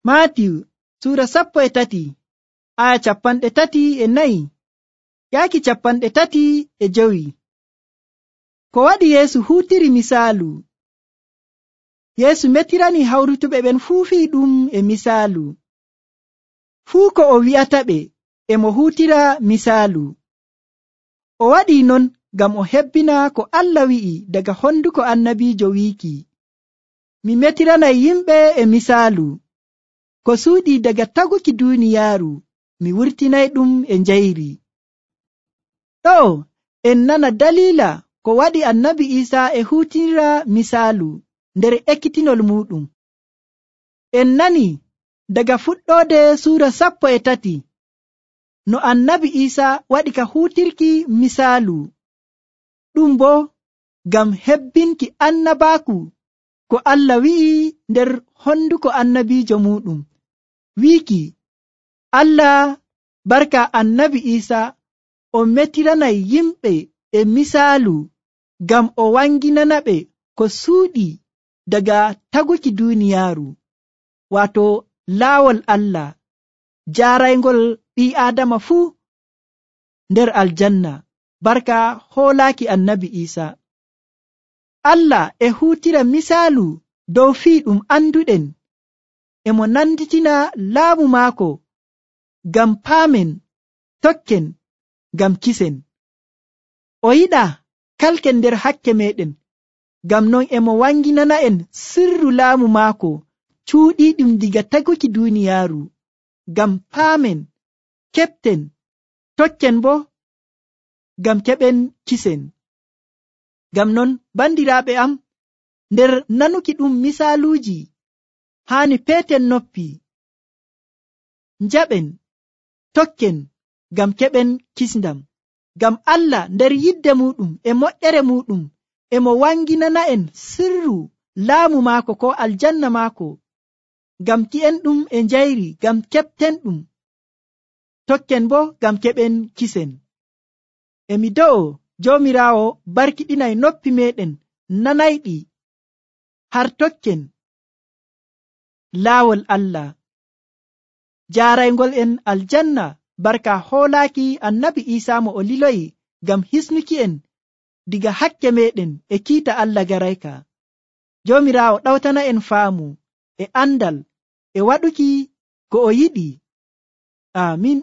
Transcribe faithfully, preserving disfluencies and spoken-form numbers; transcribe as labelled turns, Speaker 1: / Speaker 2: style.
Speaker 1: Maatiyu suura sappo e tati aya capanɗe tati e nayi yaaki capanɗe tati e jowi. Ko waɗi Yeesu huutiri misaalu. Yeesu metirani hawrutuɓe ɓen fuu fii ɗum e misaalu. Fuu ko o wi'ataɓe e mo huutira misaalu. O waɗi non ngam o hebbina ko Allah wi'i daga honduko annabiijo wiiki, mi metiranay yimɓe e misaalu. Ko suuɗi daga taguki duuniyaaru, mi wurtinay ɗum e njayri. Ɗo en nana daliila ko waɗi annabi Iisaa e huutinira misaalu nder ekkitinol muuɗum. En nani daga fuɗɗoode suura sappo e tati no annabi Iisaa waɗi ka huutirki misaalu, ɗum boo ngam hebbinki annabaaku ko Allah wi'i nder honduko annabiijo muuɗum, wiiki Allah barka annabi Iisaa o metiranay yimɓe e misaalu ngam o wanginanaɓe ko suuɗi daga taguki duuniyaaru, waato laawol Allah jaaraygol ɓii Aadama fuu nder aljanna barka hoolaaki annabi Iisaa. Allah e huutira misaalu dow fii ɗum anduɗen, e mo nanditina laamu maako ngam paamen, tokken, ngam kisen. O yiɗaa kalken nder hakke meeɗen, ngam non e mo wanginana'en sirru laamu maako cuuɗiiɗum diga taguki duuniyaaru, ngam paamen, keɓten, tokken boo ngam keɓen kisen. Ngam non bandiraaɓe am, nder nanuki ɗum misaaluuji haani peeten noppi, njaɓen, tokken ngam keɓen kisndam. Ngam Allah nder yidde muuɗum e moƴƴere muuɗum e mo wanginana'en sirru laamu maako ko aljanna maako, ngam ki'en ɗum e njayri, ngam keɓten ɗum, tokken boo ngam keɓen kisen. E mi do'o Joomiraawo barkiɗinay noppi meeɗen nanayɗi har tokken laawol Allah jaaraygol en aljanna barka hoolaaki annabi Iisaa mo o liloyi ngam hisnuki en diga hakke meeɗen e kiita Allah garayka. Joomiraawo ɗawtana en faamu e andal e waɗuki ko o yiɗi. Aamin.